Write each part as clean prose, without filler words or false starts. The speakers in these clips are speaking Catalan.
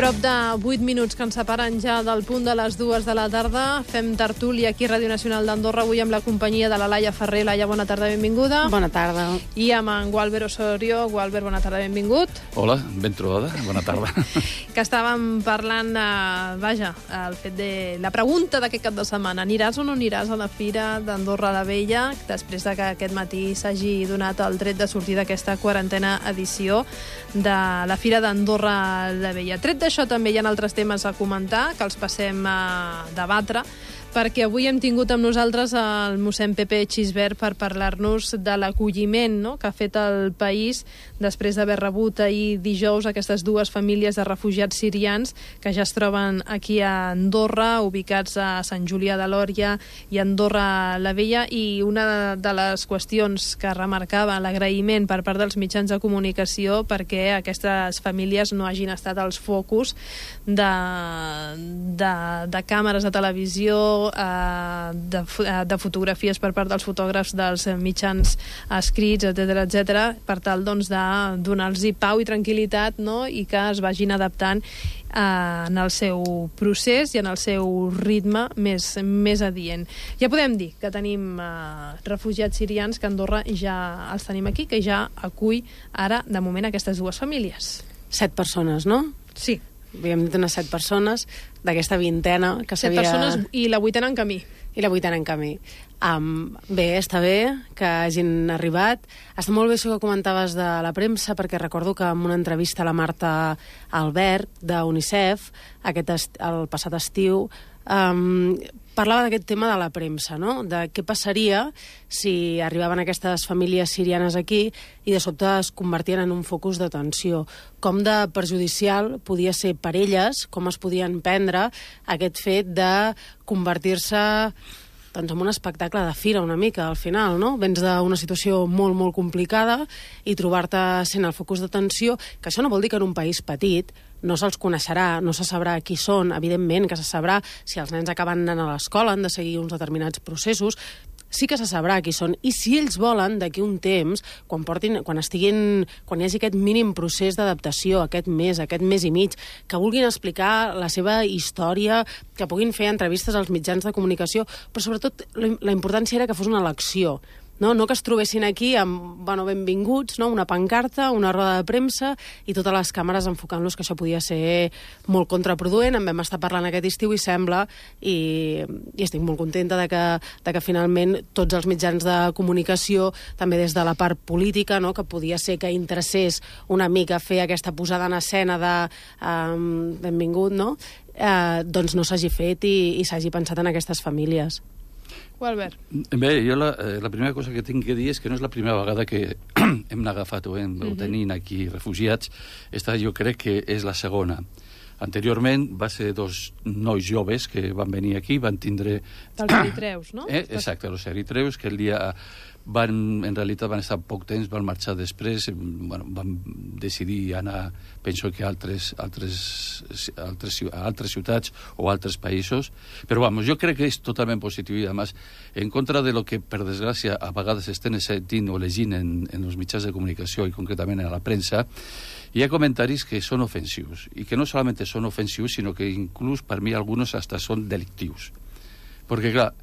Prop de 8 minuts que ens separen ja del punt de les 2 de la tarda. Fem tertúlia aquí a Ràdio Nacional d'Andorra, avui amb la companyia de la Laia Ferrer. Laia, bona tarda, benvinguda. Bona tarda. I amb en Gualber Osorio. Gualber, bona tarda, benvingut. Hola, ben trobada, bona tarda. Que estàvem parlant, el fet de la pregunta d'aquest cap de setmana. Aniràs o no aniràs a la Fira d'Andorra la Vella, després de que aquest matí s'hagi donat el tret de sortir d'aquesta quarantena edició de la Fira d'Andorra la Vella. Tret d'això també hi ha altres temes a comentar, que els passem a debatre, perquè avui hem tingut amb nosaltres el mossèn Pepe Xisbert per parlar-nos de l'acolliment, no?, que ha fet el país després d'haver rebut ahir dijous aquestes dues famílies de refugiats sirians que ja es troben aquí a Andorra, ubicats a Sant Julià de Lòria i Andorra la Vella. I una de les qüestions que remarcava l'agraïment per part dels mitjans de comunicació perquè aquestes famílies no hagin estat els focus de càmeres de televisió, de fotografies per part dels fotògrafs dels mitjans escrits, etc, per tal doncs, de donar-los pau i tranquil·litat, no?, i que es vagin adaptant en el seu procés i en el seu ritme més adient. Ja podem dir que tenim refugiats sirians que a Andorra ja els tenim aquí, que ja acull ara, de moment, aquestes dues famílies. 7 persones, no? Sí. Havíem dit unes 7 persones d'aquesta vintena que 7 persones i la vuitena en camí. I la vuitena en camí. Bé, està bé que hagin arribat. Està molt bé això que comentaves de la premsa, perquè recordo que en una entrevista a la Marta Albert, d'UNICEF, el passat estiu, parlava d'aquest tema de la premsa, no?, de què passaria si arribaven aquestes famílies sirianes aquí i de sobte es convertien en un focus d'atenció. Com de perjudicial podia ser per elles, com es podien prendre aquest fet de convertir-se doncs en un espectacle de fira una mica, al final, no? Vens d'una situació molt, molt complicada i trobar-te sent el focus d'atenció, que això no vol dir que en un país petit no se'ls coneixerà, no se sabrà qui són, evidentment que se sabrà si els nens acaben anant a l'escola, han de seguir uns determinats processos, sí que se sabrà qui són, i si ells volen, d'aquí un temps, quan hi hagi aquest mínim procés d'adaptació, aquest mes i mig, que vulguin explicar la seva història, que puguin fer entrevistes als mitjans de comunicació, però sobretot la importància era que fos una elecció, no que es trobessin aquí amb, benvinguts, no?, una pancarta, una roda de premsa i totes les càmeres enfocant-los, que això podia ser molt contraproduent. En vam estar parlant aquest estiu i sembla, i estic molt contenta de que finalment tots els mitjans de comunicació, també des de la part política, no?, que podia ser que interessés una mica fer aquesta posada en escena de benvingut, no?, doncs no s'hagi fet i s'hagi pensat en aquestes famílies. Albert. Bé, jo la primera cosa que tinc que dir és que no és la primera vegada que hem agafat o hem tenint aquí refugiats. Esta jo crec que és la segona. Anteriorment va ser 2 nois joves que van venir aquí, van tindre... Dels eritreus, no? Exacte, els eritreus, que el dia... en realitat van estar poc temps, van marxar després, van decidir anar, penso que a altres ciutats o altres països, però jo crec que és totalment positiu i, a més, en contra de lo que, per desgràcia, a vegades estem sentint o llegint en els mitjans de comunicació i concretament a la premsa, hi ha comentaris que són ofensius, i que no solament són ofensius, sinó que inclús per mi alguns hasta són delictius. Perquè, clar,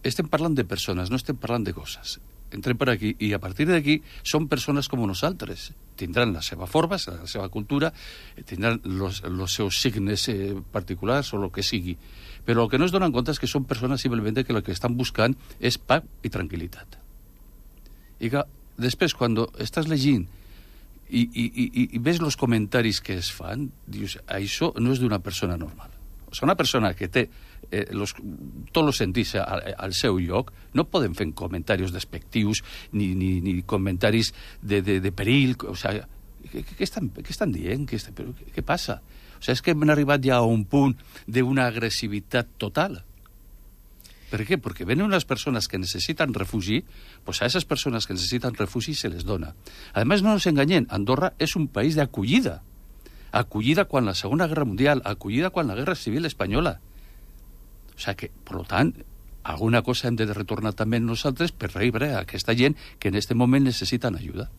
estem parlant de persones, no estem parlant de coses. Entrem per aquí i a partir d'aquí són persones com nosaltres. Tindran la seva forma, la seva cultura, tindran els seus signes particulars o el que sigui. Però el que no es donen compte és que són persones simplement que el que estan buscant és pau i tranquil·litat. I que després, quan estàs llegint i ves els comentaris que es fan, dius, això no és d'una persona normal. Una persona que té tots els sentits al seu lloc no poden fer comentaris despectius ni comentaris de perill. Què estan dient? Què passa? És que hem arribat ja a un punt d'una agressivitat total. Per què? Perquè venen unes persones que necessiten refugi, doncs a aquestes persones que necessiten refugi se les dona. A més, no ens enganyem, Andorra és un país d'acollida. Acollida quan la Segona Guerra Mundial, acollida quan la Guerra Civil Espanyola. O sigui que, per tant, alguna cosa hem de retornar també nosaltres per rebre a aquesta gent que en aquest moment necessiten ajuda.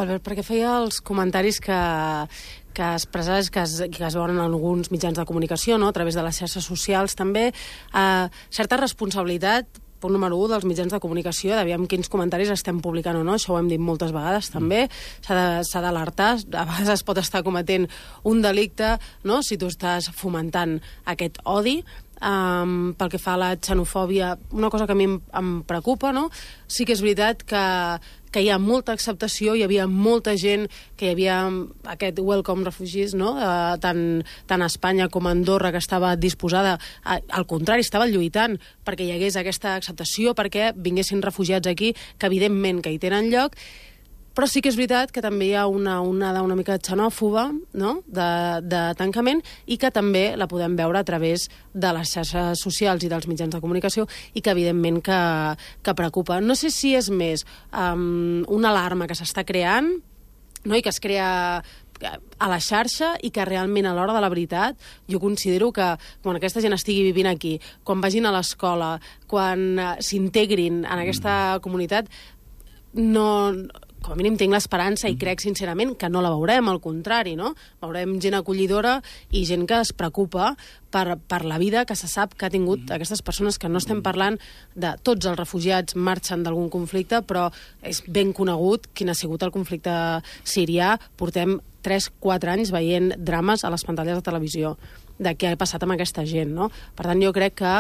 Albert, perquè feia els comentaris que expressaves, que es veuen en alguns mitjans de comunicació, no? A través de les xarxes socials també, certa responsabilitat, punt número 1, dels mitjans de comunicació, d'aviam quins comentaris estem publicant o no, això ho hem dit moltes vegades també, s'ha d'alertar, a vegades es pot estar cometent un delicte, no?, si tu estàs fomentant aquest odi. Pel que fa a la xenofòbia, una cosa que a mi em preocupa, no? Sí que és veritat que hi ha molta acceptació, hi havia molta gent, que hi havia aquest welcome refugees, no? Tant a Espanya com a Andorra, que estava disposada, al contrari, estava lluitant perquè hi hagués aquesta acceptació, perquè vinguessin refugiats aquí, que evidentment que hi tenen lloc, però sí que és veritat que també hi ha una onada una mica xenòfoba, no?, de tancament, i que també la podem veure a través de les xarxes socials i dels mitjans de comunicació, i que evidentment que preocupa. No sé si és més una alarma que s'està creant, no?, i que es crea a la xarxa, i que realment a l'hora de la veritat jo considero que quan aquesta gent estigui vivint aquí, quan vagin a l'escola, quan s'integrin en aquesta comunitat, com a mínim tinc l'esperança i crec sincerament que no la veurem, al contrari, no? Veurem gent acollidora i gent que es preocupa per la vida que se sap que ha tingut aquestes persones, que no estem parlant de tots els refugiats marxen d'algun conflicte, però és ben conegut quin ha sigut el conflicte sirià. Portem 3-4 anys veient drames a les pantalles de televisió de què ha passat amb aquesta gent, no? Per tant, jo crec que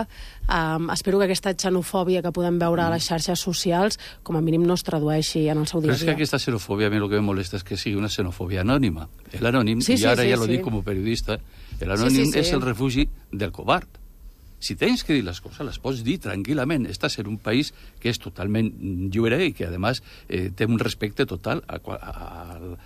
espero que aquesta xenofòbia que podem veure a les xarxes socials com a mínim no es tradueixi en el seu dia a dia. Però és que aquesta xenofòbia, a mi el que me molesta és que sigui una xenofòbia anònima. El anònim, i ara ja lo dic com a periodista, el anònim és el refugi del covard. Si tens que dir les coses, les pots dir tranquil·lament. Estàs en un país que és totalment lliure i que, a més, té un respecte total al...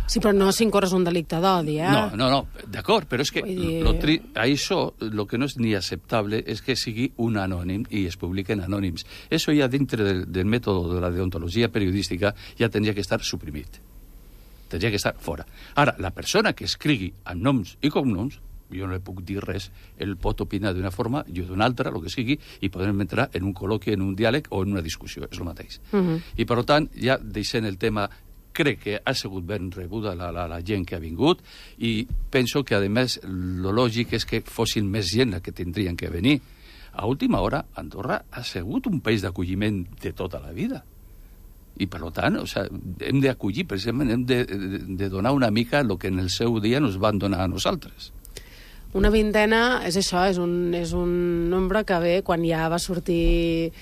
Sí, però no si incorres un delicte d'odi, eh? No, d'acord, però és que això, el que no és ni acceptable és que sigui un anònim i es publiquen anònims. Això ja dintre del mètode de la deontologia periodística ja tindria que estar suprimit. Tindria que estar fora. Ara, la persona que escrigui amb noms i cognoms, jo no li puc dir res, ell pot opinar d'una forma, jo d'una altra, el que sigui, i podem entrar en un col·loqui, en un diàleg o en una discussió, és el mateix. I per tant, ja deixant el tema, crec que ha sigut ben rebuda la gent que ha vingut, i penso que, a més, lo lògic és que fossin més gent la que tindrien que venir. A última hora, Andorra ha sigut un país d'acolliment de tota la vida. I, per tant, hem d'acollir, precisament, hem de donar una mica el que en el seu dia ens van donar a nosaltres. Una vintena, és això, és un nombre que ve quan ja va sortir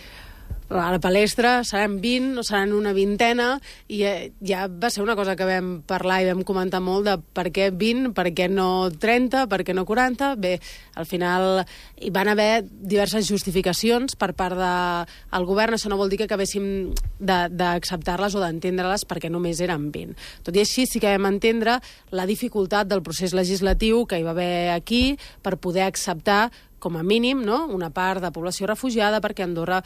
a la palestra, seran 20 o seran una vintena, i ja va ser una cosa que vam parlar i vam comentar molt de per què 20, per què no 30, per què no 40. Bé, al final hi van haver diverses justificacions per part del govern. Això no vol dir que acabéssim d'acceptar-les o d'entendre-les perquè només eren 20. Tot i així sí que vam entendre la dificultat del procés legislatiu que hi va haver aquí per poder acceptar com a mínim, no?, una part de població refugiada, perquè Andorra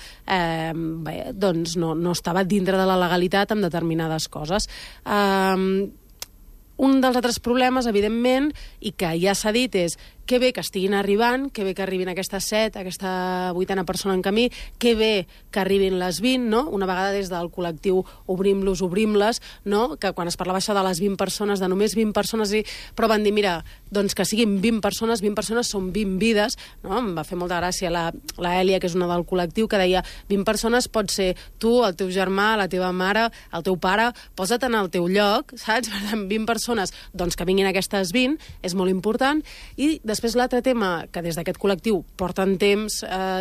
doncs no estava dintre de la legalitat amb determinades coses. Un dels altres problemes, evidentment, i que ja s'ha dit, és que bé que estiguin arribant, que bé que arribin aquestes 7, aquesta 8a persona en camí, que bé que arribin les 20, no? Una vegada des del col·lectiu obrim-les, no? Que quan es parlava això de les 20 persones, de només 20 persones, però van dir, mira, doncs que siguin 20 persones són 20 vides, no? Em va fer molta gràcia la Èlia, que és una del col·lectiu, que deia, 20 persones pot ser tu, el teu germà, la teva mare, el teu pare, posa't en el teu lloc, saps? Per tant, 20 persones, doncs que vinguin aquestes 20, és molt important. I després l'altre tema que des d'aquest col·lectiu porten temps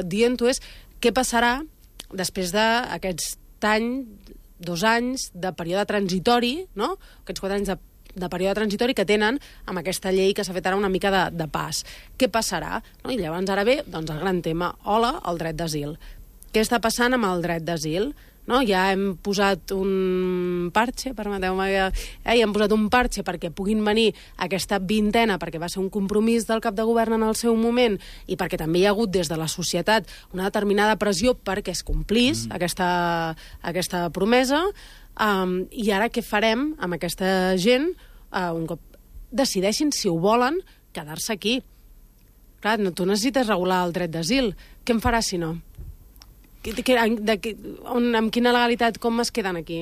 dient-ho és què passarà després d'aquest any, 2 anys de període transitori, no? Aquests 4 anys de període transitori que tenen amb aquesta llei que s'ha fet ara una mica de pas. Què passarà? No? I llavors ara ve doncs, el gran tema, hola, el dret d'asil. Què està passant amb el dret d'asil? No? Ja hem posat un parche, permeteu-me, hem posat un parche perquè puguin venir aquesta vintena, perquè va ser un compromís del cap de govern en el seu moment i perquè també hi ha hagut des de la societat una determinada pressió perquè es complís aquesta promesa. I ara què farem amb aquesta gent un cop decideixin si ho volen quedar-se aquí? Clar, tu necessites regular el dret d'asil. Què en faràs si no? Amb quina legalitat, com es queden aquí?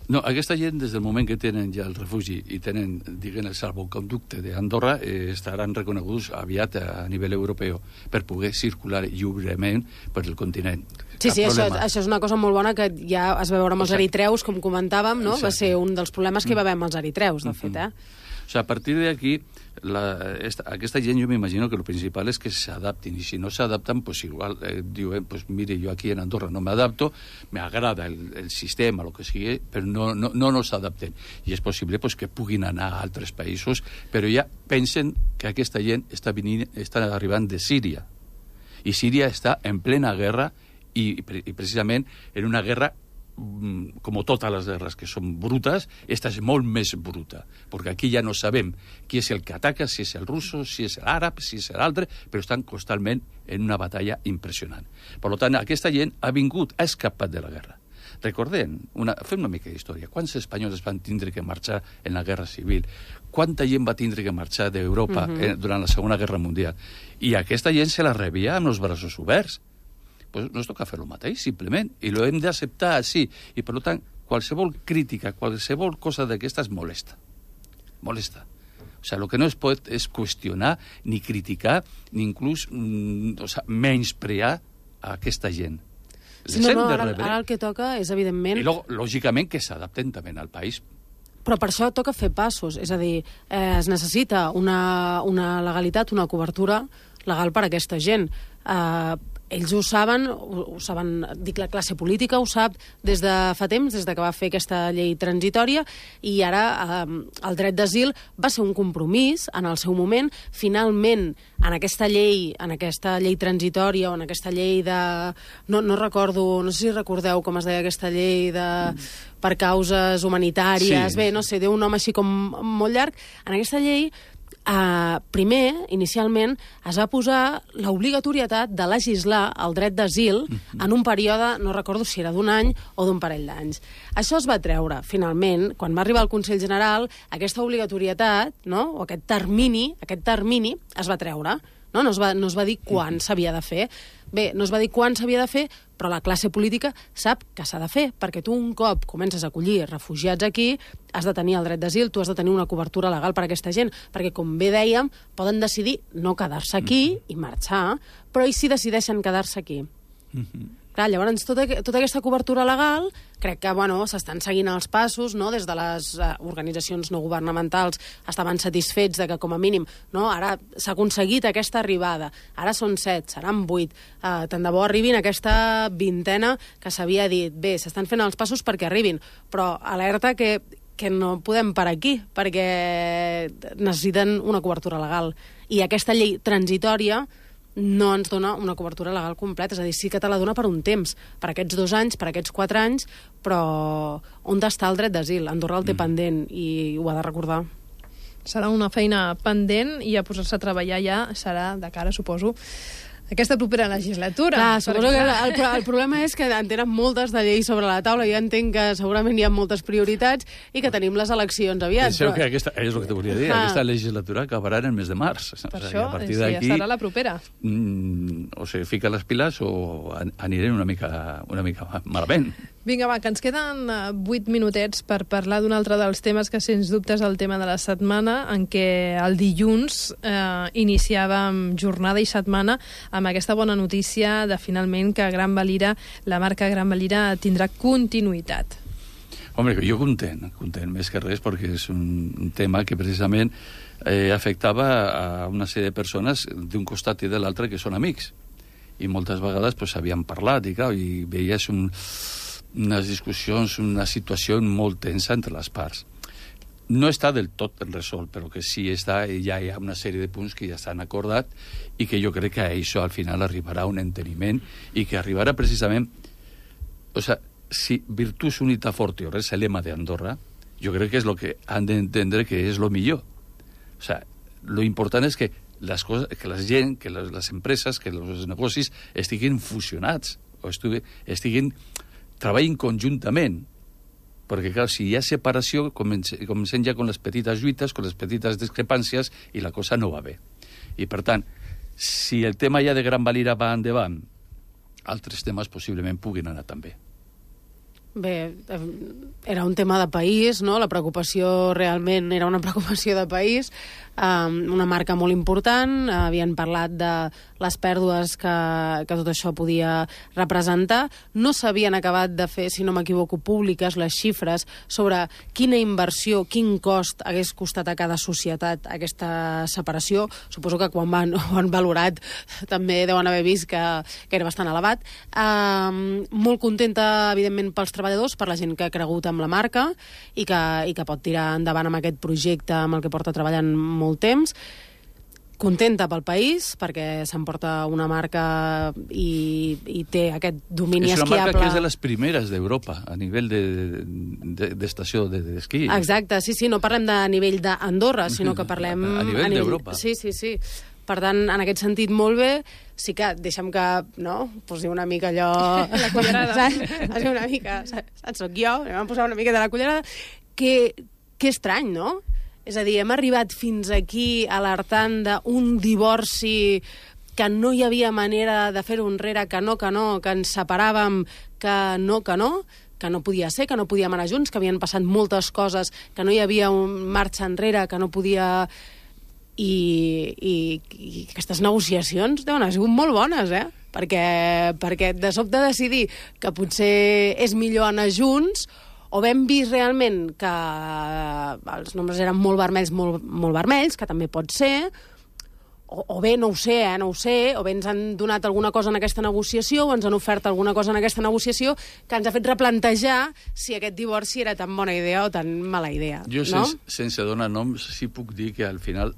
No, aquesta gent, des del moment que tenen ja el refugi i tenen, diguem, el salvoconducte d'Andorra, estaran reconeguts aviat a nivell europeu per poder circular lliurement per el continent. Sí, això és una cosa molt bona que ja es va veure amb els eritreus, com comentàvem, no? Va ser un dels problemes que hi va haver amb els eritreus, de fet, O sea, a partir de aquí, aquesta gent, jo m'imagino que el principal és que s'adaptin, i si no s'adapten, pues igual diuen, pues mire, jo aquí en Andorra no m'adapto, me agrada el sistema, el que sigui, però no nos adapten. I és possible pues, que puguin anar a altres països, però ja pensen que aquesta gent està arribant de Síria. I Síria està en plena guerra i precisament en una guerra com totes les guerres que són brutes, esta és molt més bruta, perquè aquí ja no sabem qui és el que ataca, si és el russo, si és l'àrab, si és l'altre, però estan constantment en una batalla impressionant. Per tant, aquesta gent ha escapat de la guerra. Recordem, fem una mica d'història. Quants espanyols van tindre que marxar en la guerra civil? Quanta gent va tindre que marxar d'Europa durant la Segona Guerra Mundial? I aquesta gent se la rebia amb els braços oberts. Pues nos toca fer el mateix, simplement, i lo hem d'acceptar així. I, per tant, qualsevol crítica, qualsevol cosa d'aquestes molesta. Molesta. O sigui, el que no es pot és qüestionar, ni criticar, ni inclús menysprear a aquesta gent. Sí, ara el que toca és, evidentment... I, lògicament, que s'adapten també al país. Però per això toca fer passos, és a dir, es necessita una legalitat, una cobertura legal per a aquesta gent. Ells ho saben, dic, la classe política ho sap des de fa temps, des de que va fer aquesta llei transitòria, i ara el dret d'asil va ser un compromís en el seu moment. Finalment, en aquesta llei transitòria o en aquesta llei de... No recordo, no sé si recordeu com es deia aquesta llei de... per causes humanitàries, sí. Bé, no sé, té un nom així com molt llarg. En aquesta llei, primer, inicialment, es va posar l'obligatorietat de legislar el dret d'asil en un període, no recordo si era d'un any o d'un parell d'anys. Això es va treure, finalment, quan va arribar al Consell General, aquesta obligatorietat, no? O aquest termini es va treure. No es va dir quan s'havia de fer. Bé, no es va dir quan s'havia de fer, però la classe política sap que s'ha de fer, perquè tu un cop comences a acollir refugiats aquí, has de tenir el dret d'asil, tu has de tenir una cobertura legal per a aquesta gent, perquè, com bé dèiem, poden decidir no quedar-se aquí i marxar, però i si decideixen quedar-se aquí? Clar, llavors, tota aquesta cobertura legal, crec que s'estan seguint els passos, no? Des de les organitzacions no governamentals estaven satisfets de que, com a mínim, no? Ara s'ha aconseguit aquesta arribada. Ara són 7, seran 8. Tant de bo arribin aquesta vintena que s'havia dit. Bé, s'estan fent els passos perquè arribin, però alerta que no podem parar aquí, perquè necessiten una cobertura legal. I aquesta llei transitòria no ens dona una cobertura legal completa, és a dir, sí que te la dona per un temps, per aquests 2 anys, per aquests 4 anys, però on està el dret d'asil? Andorra el té pendent i ho ha de recordar. Serà una feina pendent i a posar-se a treballar ja serà de cara, suposo, aquesta propera legislatura. Clar, suposo que el problema és que en tenen moltes de lleis sobre la taula. Jo entenc que segurament hi ha moltes prioritats i que tenim les eleccions aviat. Penseu que és el que te volia dir. Aquesta legislatura acabarà en el mes de març. Per això, ja serà la propera. O sigui, fica les piles o anirem una mica malament. Vinga, va, que ens queden 8 minutets per parlar d'un altre dels temes que, sens dubte, és el tema de la setmana, en què el dilluns iniciàvem jornada i setmana amb aquesta bona notícia de, finalment, que Gran Valira, la marca Gran Valira, tindrà continuïtat. Home, jo content més que res, perquè és un tema que precisament afectava a una sèrie de persones d'un costat i de l'altre que són amics. I moltes vegades s'havien parlat i veies unes discussions, una situació molt tensa entre les parts. No està del tot resolt, però que sí ja hi ha una sèrie de punts que ja s'han acordat i que jo crec que això al final arribarà a un enteniment i que arribarà precisament... O sigui, si virtus unita fortio és el lema d'Andorra, jo crec que és el que han d'entendre que és el millor. O sigui, lo important és que les coses, que la gent, que les empreses, que els negocis estiguin fusionats o treballin conjuntament, perquè, clar, si hi ha separació, comencem ja amb les petites lluites, amb les petites discrepàncies, i la cosa no va bé. I, per tant, si el tema ja de Gran Valira va endavant, altres temes possiblement puguin anar també. Bé, era un tema de país, no? La preocupació realment era una preocupació de país, una marca molt important, havien parlat de les pèrdues que tot això podia representar. No s'havien acabat de fer, si no m'equivoco, públiques les xifres sobre quina inversió, quin cost hagués costat a cada societat aquesta separació. Suposo que quan ho han valorat també deuen haver vist que era bastant elevat. Molt contenta, evidentment, pels treballadors, per la gent que ha cregut amb la marca i que pot tirar endavant amb aquest projecte amb el que porta treballant molt temps. Contenta pel país, perquè s'emporta una marca i té aquest domini esquiable. És una marca que és de les primeres d'Europa, a nivell d'estació d'esquí. Exacte, sí, no parlem de nivell d'Andorra, sinó que parlem... A nivell d'Europa. Sí. Per tant, en aquest sentit, molt bé. Sí que deixa'm que, no?, posi una mica allò... La cullerada. Saps? Una mica, saps? Soc jo, vam posar una mica de la cullerada. Que estrany, no? És a dir, hem arribat fins aquí alertant d'un divorci que no hi havia manera de fer-ho enrere, que no, que ens separàvem, que no podia ser, que no podíem anar junts, que havien passat moltes coses, que no hi havia marxa enrere, que no podia... I aquestes negociacions deuen haver sigut molt bones, perquè de sobte decidir que potser és millor anar junts, o hem vist realment que els nombres eren molt vermells, que també pot ser, o bé, no ho sé, o bé ens han donat alguna cosa en aquesta negociació, o ens han ofert alguna cosa en aquesta negociació que ens ha fet replantejar si aquest divorci era tan bona idea o tan mala idea. Jo, no? sense donar noms, sí puc dir que al final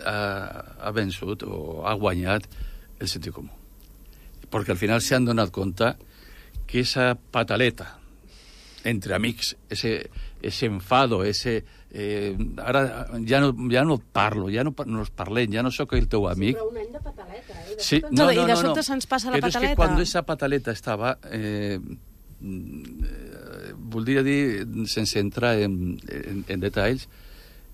ha vençut o ha guanyat el sentit comú. Perquè al final s'han donat compte que esa pataleta entre amics, ese enfado, ara ja no parlo, ja no nos parlem, ja no sóc el teu amic. Sí, però un any de pataleta, Sí, I de sobte se'ns passa la pataleta. Però és que quan esa pataleta estava... voldria dir, sense entrar en detalls,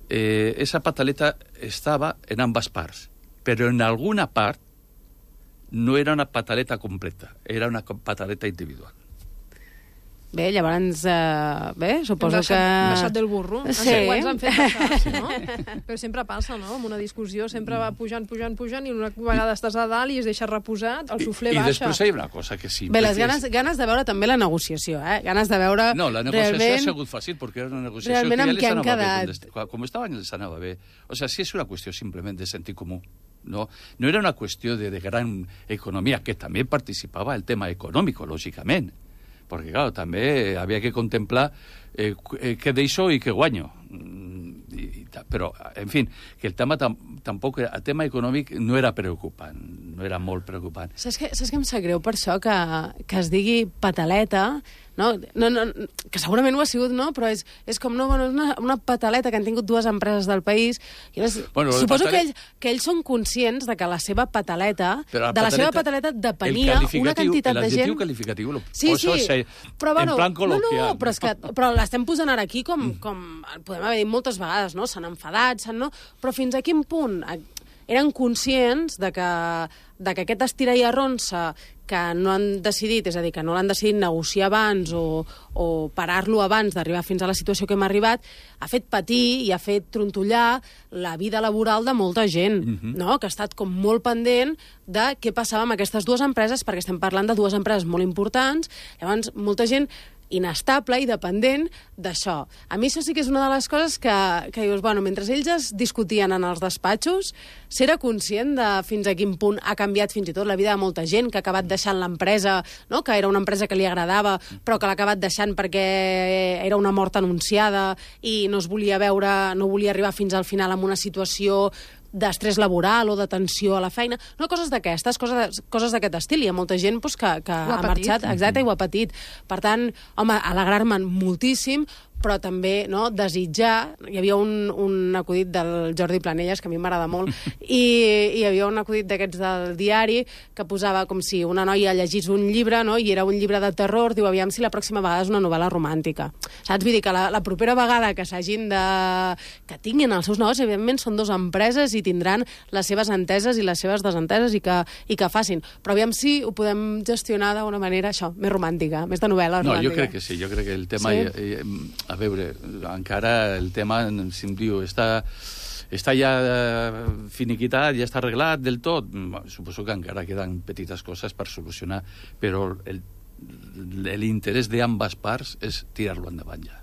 esa pataleta estava en ambas parts, però en alguna part no era una pataleta completa, era una pataleta individual. Bé, llavors, suposo que... Hem baixat del burro. Sí. Ens han fet baixar, no? Però sempre passa, no? En una discussió sempre va pujant, i una vegada estàs a dalt i es deixa reposat, el suflé baixa. I després hi ha una cosa que sí... Bé, les ganes de veure també la negociació, Ganes de veure... No, la negociació ha sigut fàcil, perquè era una negociació realment que amb què han quedat. Com estaven, els anava bé. O sea, sí és una qüestió simplement de sentit comú. No era una qüestió de gran economia, que també participava el tema econòmic, lògicament. Perquè, clar, també havia que contemplar què deixo i què guanyo. Però, en fi, que el tema tampoc... El tema econòmic no era preocupant, no era molt preocupant. Saps que em sap greu per això que es digui pataleta, no, que segurament ho ha sigut, no? Però és com, no, bueno, una pataleta que han tingut dues empreses del país. Suposo que ells són conscients de que la seva pataleta, la seva pataleta depenia una quantitat de gent... L'adjectiu qualificatiu lo poso en plan col·loquial. No, però l'estem posant ara aquí com podem haver dit moltes vegades, no? S'han enfadat, no? Però fins a quin punt eren conscients de que aquest estira i arronsa que no han decidit, és a dir, que no l'han decidit negociar abans o parar-lo abans d'arribar fins a la situació que hem arribat, ha fet patir i ha fet trontollar la vida laboral de molta gent, no? Que ha estat com molt pendent de què passava amb aquestes dues empreses, perquè estem parlant de dues empreses molt importants. Llavors, molta gent inestable i dependent d'això. A mi això sí que és una de les coses que dius, bueno, mentre ells es discutien en els despatxos, s'era conscient de fins a quin punt ha canviat fins i tot la vida de molta gent que ha acabat deixant l'empresa, no? Que era una empresa que li agradava, però que l'ha acabat deixant perquè era una mort anunciada i no es volia veure, no volia arribar fins al final amb una situació d'estrès laboral o de tensió a la feina, no, coses d'aquestes, coses d'aquest estil. Hi ha molta gent que ha marxat, exacte, i ho ha patit. Per tant, home, alegrar-me'n moltíssim, però també desitjar. Hi havia un acudit del Jordi Planelles, que a mi m'agrada molt, i hi havia un acudit d'aquests del diari que posava com si una noia llegís un llibre, i era un llibre de terror, diu, aviam si la pròxima vegada és una novel·la romàntica. Saps? Vull dir que la propera vegada que s'hagin que tinguin els seus negocis, evidentment són dues empreses i tindran les seves enteses i les seves desenteses i que facin. Però aviam si ho podem gestionar d'una manera, això, més romàntica, més de novel·la romàntica. No, jo crec que sí, jo crec que el tema... A veure, encara el tema, si em diu, està ja finiquitat, ja està arreglat del tot. Suposo que encara queden petites coses per solucionar, però l'interès d'ambes parts és tirar-lo endavant ja.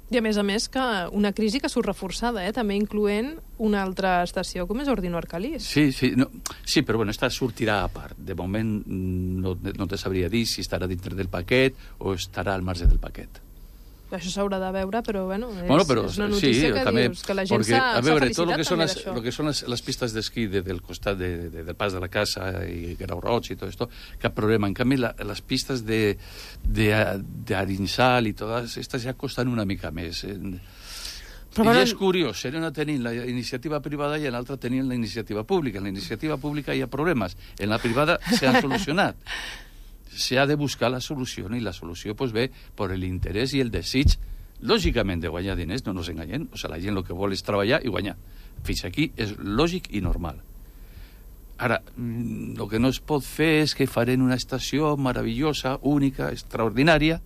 I a més que una crisi que surt reforçada, també incloent una altra estació com és Ordino Arcalís. Sí, però bueno, esta sortirà a part. De moment no te sabria dir si estarà dintre del paquet o estarà al marge del paquet. Això s'haurà de veure, però bueno, és una notícia que dius que la gent s'ha felicitat també d'això. Tot el que són les pistes d'esquí del costat del pas de la casa i Grau Roig i tot esto, cap problema. En canvi, les pistes d'Arinsal i totes estas ja costen una mica més. I és curiós, en una tenim la iniciativa privada i en l'altra tenim la iniciativa pública. En la iniciativa pública hi ha problemes, en la privada s'han solucionat. Se ha de buscar la solució, i la solució ve per l'interès i el desig, lògicament, de guanyar diners, no ens enganyem. O sigui, la gent el que vol és treballar i guanyar. Fins aquí és lògic i normal. Ara, el que no es pot fer és que farem una estació meravellosa, única, extraordinària,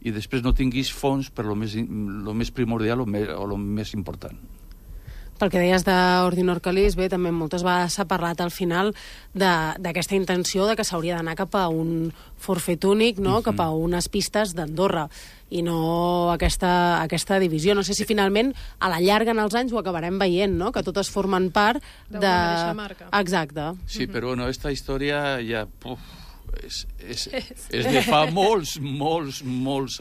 i després no tinguis fons per lo més primordial o lo més important. Pel que deies d'Ordino Arcalís, bé, també moltes vegades s'ha parlat al final d'aquesta intenció de que s'hauria d'anar cap a un forfet únic, cap a unes pistes d'Andorra, i no aquesta divisió. No sé si finalment a la llarga en els anys ho acabarem veient, que totes formen part d'una mateixa marca. Exacte. Sí, però esta història ja... És de fa molts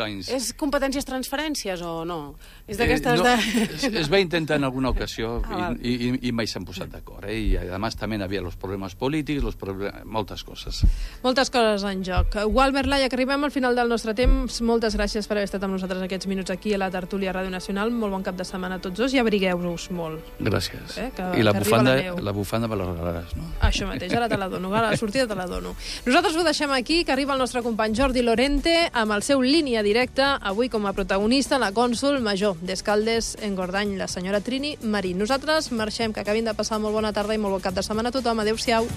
anys. És competències transferències o no? És es va intentar en alguna ocasió i mai s'han posat d'acord. I a més també hi havia els problemes polítics, moltes coses. Moltes coses en joc. Gualbert Laia, que arribem al final del nostre temps. Moltes gràcies per haver estat amb nosaltres aquests minuts aquí a la tertúlia Ràdio Nacional. Molt bon cap de setmana a tots dos i abrigueu-vos molt. Gràcies. I la bufanda me la regalaràs, no? Això mateix, ara te la dono. A la sortida te la dono. Nosaltres ho deixem aquí, que arriba el nostre company Jordi Lorente amb el seu Línia Directa, avui com a protagonista la cònsol major d'Escaldes en Gordany, la senyora Trini Marín. Nosaltres marxem, que acabin de passar molt bona tarda i molt bon cap de setmana a tothom. Adéu-siau.